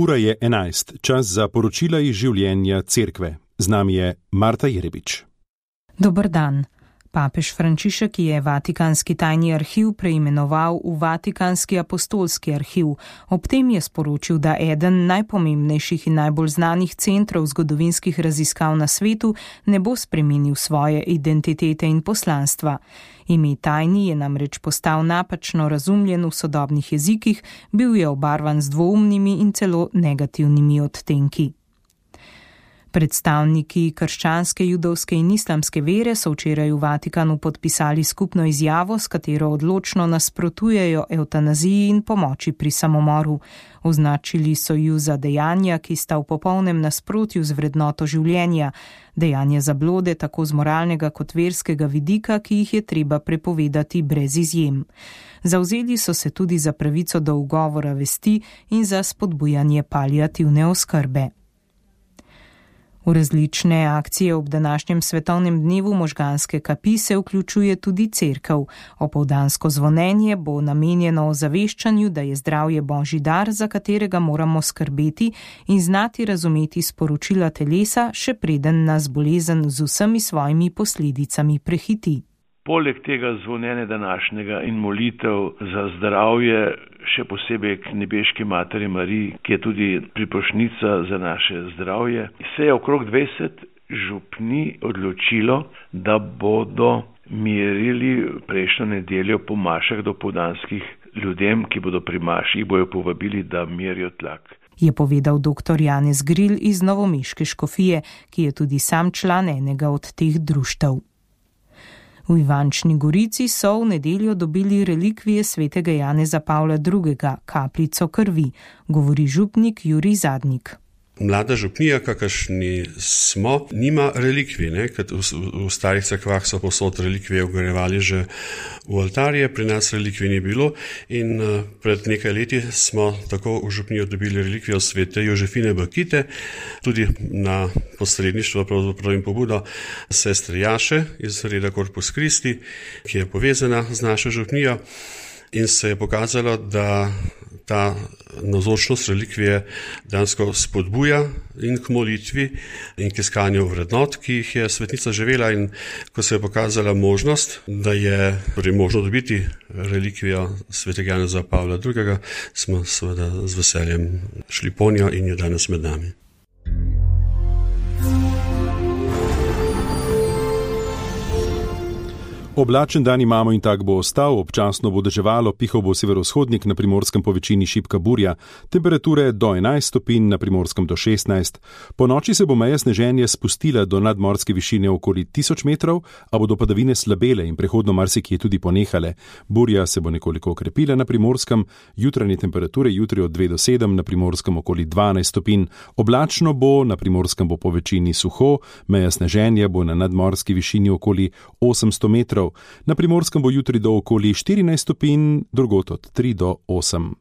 Ura je 11, čas za poročila iz življenja cerkve. Z nami je Marta Jerebič. Dober dan. Papež Frančišek je Vatikanski tajni arhiv preimenoval v Vatikanski apostolski arhiv. Ob tem je sporočil, da eden najpomembnejših in najbolj znanih centrov zgodovinskih raziskav na svetu ne bo spremenil svoje identitete in poslanstva. Ime tajni je namreč postal napačno razumljen v sodobnih jezikih, bil je obarvan z dvoumnimi in celo negativnimi odtenki. Predstavniki krščanske, judovske in islamske vere so včeraj v Vatikanu podpisali skupno izjavo, s katero odločno nasprotujejo evtanaziji in pomoči pri samomoru. Označili so ju za dejanja, ki sta v popolnem nasprotju z vrednoto življenja, dejanja zablode tako z moralnega kot verskega vidika, ki jih je treba prepovedati brez izjem. Zavzeli so se tudi za pravico do ugovora vesti in za spodbujanje paliativne oskrbe. V različne akcije ob današnjem svetovnem dnevu možganske kapi se vključuje tudi cerkev. Opoldansko zvonjenje bo namenjeno ozaveščanju, da je zdravje božji dar, za katerega moramo skrbeti in znati razumeti sporočila telesa, še preden nas bolezen z vsemi svojimi posledicami prehiti. Poleg tega zvonjenja današnjega in molitev za zdravje, še posebej k nebeški materi Mariji, ki je tudi priprošnica za naše zdravje, se je okrog 20 župni odločilo, da bodo mirili prejšnjo nedeljo po mašah dopoldanskih ljudem, ki bodo pri maši, bojo povabili, da merijo tlak. Je povedal dr. Janez Gril iz novomeške škofije, ki je tudi sam član enega od teh društev. V Ivančni Gorici so v nedeljo dobili relikvije svetega Janeza Pavla II., kapljico krvi, govori župnik Jurij Zadnik. Mlada župnija, kakršni smo, nima relikvij, ker v starih cerkvah so povsod relikvije vgrajevali že v oltarje, pri nas relikvij ni bilo in pred nekaj leti smo tako v župnijo dobili relikvijo svete Jožefine Bakite, tudi na posredništvo pravzaprav in pobudo sestre Jaše iz reda Corpus Christi, ki je povezana z našo župnijo, in se je pokazalo, da ta navzočnost relikvije dejansko spodbuja in k molitvi in k iskanju vrednot, ki jih je svetnica živela, in ko se je pokazala možnost, da je možno dobiti relikvijo svetega Janeza Pavla II., smo seveda z veseljem šli po njo in je danes med nami. Oblačen dan imamo in tak bo ostal, občasno bo deževalo, pihal bo severovzhodnik, na Primorskem po večini šibka burja, temperature do 11 stopinj, na Primorskem do 16. Po noči se bo meja sneženja spustila do nadmorske višine okoli 1000 metrov, a bodo padavine slabele in prehodno marsikje tudi ponehale. Burja se bo nekoliko okrepila na Primorskem, jutranje temperature jutri od 2 do 7, na Primorskem okoli 12 stopinj. Oblačno bo, na Primorskem bo po večini suho, meja sneženja bo na nadmorski višini okoli 800 metrov. Na Primorskem bo jutri do okoli 14 stopinj, drugod od 3 do 8.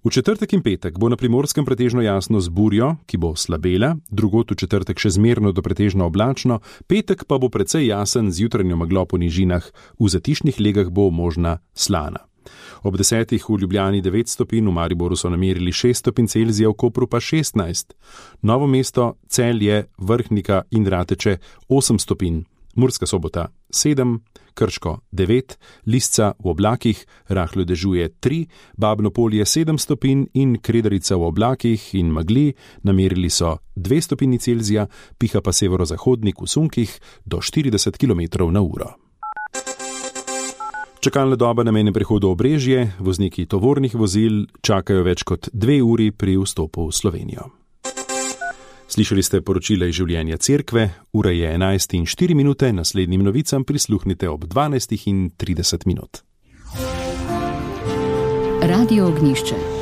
V četrtek in petek bo na Primorskem pretežno jasno z burjo, ki bo slabela, drugod v četrtek še zmerno do pretežno oblačno, petek pa bo precej jasen z jutranjo meglo po nižinah, v zatišnih legah bo možna slana. Ob 10. v Ljubljani 9 stopinj, v Mariboru so namerili 6 stopinj Celzija, v Kopru pa 16. Novo mesto, Celje, Vrhnika in Rateče 8 stopinj. Murska Sobota 7, Krško 9, Lisca v oblakih, rahlo dežuje 3, Babno Polje 7 stopinj in Kredarica v oblakih in megli, namerili so 2 stopinji Celzija, piha pa severozahodnik v sunkih do 40 km/h. Čakalna doba na mejnem prehodu Obrežje, vozniki tovornih vozil čakajo več kot 2 uri pri vstopu v Slovenijo. Slišali ste poročila iz življenja cerkve, ura je 11:04, naslednjim novicam prisluhnite ob 12:30. Radio Ognjišče.